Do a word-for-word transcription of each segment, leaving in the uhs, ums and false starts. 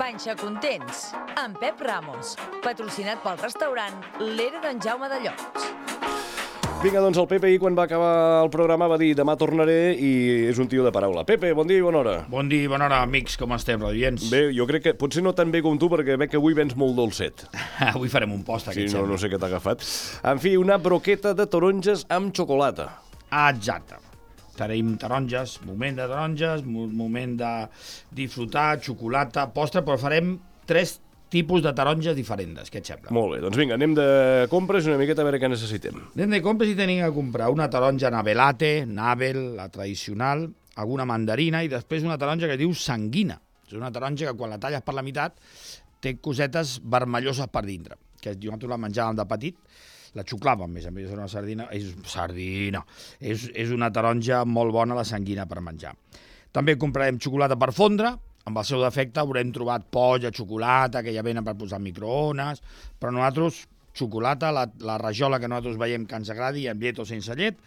Panxa Contents, amb Pep Ramos, patrocinat pel restaurant L'Era d'en Jaume de Llots. Vinga, doncs el Pepe, quan va acabar el programa, va dir demà tornaré i és un tio de paraula. Pepe, bon dia i bona hora. Bon dia i bona hora, amics, com estem, radiants? Bé, jo crec que potser no tan bé com tu, perquè veig que avui vens molt dolcet. Avui farem un post, Sí, aquest no, sembla. no sé què t'ha agafat. En fi, una broqueta de taronges amb xocolata. Exacte. Tenim taronges, moment de taronges, mo- moment de disfrutar, xocolata, postre, però farem tres tipus de taronges diferents, què et sembla? Molt bé, doncs vinga, anem de compres una miqueta a veure què necessitem. Anem de compres i tenim que comprar una taronja navelate, navel, la tradicional, alguna mandarina i després una taronja que es diu sanguina. És una taronja que quan la talles per la meitat té cosetes vermelloses per dintre, que nosaltres la menjàvem de petit, la xuclàvem, més a més, és una sardina, és sardina, és, és una taronja molt bona, la sanguina, per menjar. També comprarem xocolata per fondre, amb el seu defecte haurem trobat polla, xocolata, que ja venen per posar microones, però nosaltres, xocolata, la, la rajola que nosaltres veiem que ens agradi, amb llet o sense llet,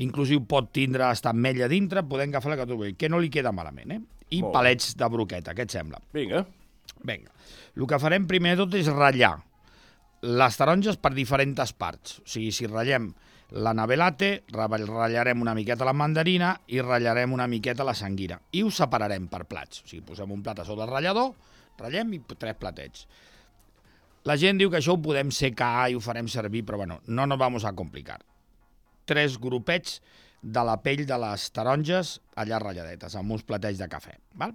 inclusive pot tindre hasta ametlla dintre, podem agafar la que trobem, que no li queda malament, eh? I Molt bé. palets de broqueta, què et sembla? Vinga. Vinga, el que farem primer de tot és ratllar les taronges per diferents parts. O sigui, si ratllem la navelate, ratllarem una miqueta la mandarina i ratllarem una miqueta la sanguina. I ho separarem per plats. O sigui, posem un plat a sota del ratllador, ratllem i tres platets. La gent diu que això ho podem secar i ho farem servir, però bueno, no nos vamos a complicar. Tres grupets de la pell de les taronges allà ratlladetes, amb uns platets de cafè. Val?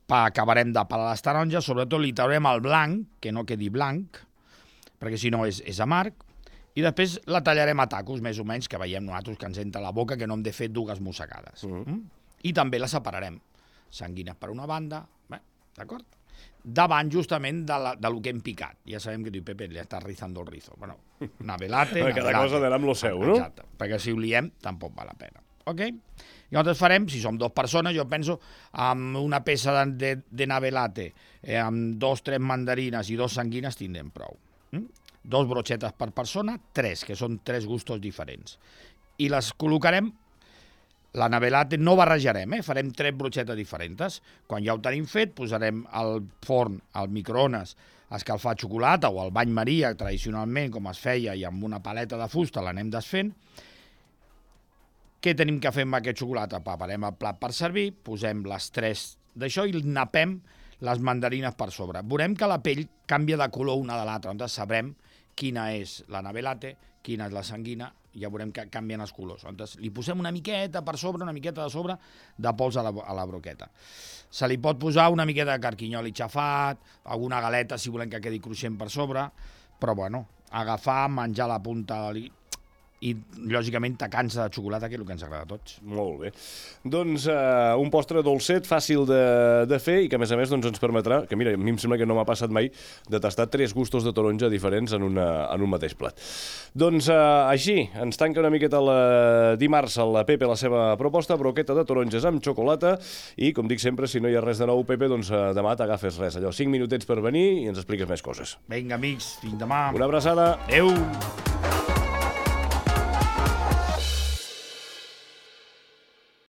Pa, acabarem de pelar les taronges, sobretot li traurem el blanc, que no quedi blanc, perquè si no és, és amarg, i després la tallarem a tacos, més o menys, que veiem nosaltres que ens entra a la boca, que no hem de fer dues mossegades. Mhm. Mm? I també la separarem. Sanguines per una banda, bé, d'acord? Davant, justament, de, la, de lo que hem picat. Ja sabem que diu, Pepe, li està rizando el rizo. Bueno, navelate, Cada navelate. cosa d'anar amb lo seu, no? Exacte, perquè si ho liem, tampoc val la pena. Ok? I nosaltres farem, si som dues persones, jo penso, amb una peça de, de, de navelate, eh, amb dos, tres mandarines i dos sanguines, tindrem prou. Mm? Dos brochetes per persona, tres, que són tres gustos diferents. I les col·locarem, la navelate no barrejarem, eh? Farem tres brochetes diferents. Quan ja ho tenim fet, posarem al forn, al microones, a escalfar xocolata o al bany maria, tradicionalment, com es feia, i amb una paleta de fusta l'anem desfent. Què tenim que fer amb aquest xocolata? Preparem el plat per servir, posem les tres d'això i napem les mandarines per sobre. Veurem que la pell canvia de color una de l'altra, on sabrem quina és la navelate, quina és la sanguina, ja veurem que canvien els colors. Llavors, li posem una miqueta per sobre, una miqueta de sobre, de pols a la, a la broqueta. Se li pot posar una miqueta de carquinyoli xafat, alguna galeta si volem que quedi cruixent per sobre, però bueno, agafar, menjar la punta de li... i, lògicament, tacar-nos de xocolata, que és el que ens agrada a tots. Molt bé. Doncs uh, un postre dolcet, fàcil de, de fer i que, a més a més, doncs, ens permetrà, que mira, a mi em sembla que no m'ha passat mai, de tastar tres gustos de taronja diferents en, una, en un mateix plat. Doncs uh, així, ens tanca una miqueta la dimarts a la Pepe la seva proposta, broqueta de taronges amb xocolata i, com dic sempre, si no hi ha res de nou, Pepe, doncs uh, demà t'agafes res, allò, cinc minutets per venir i ens expliques més coses. Vinga, amics, fins demà. Una abraçada. Adéu.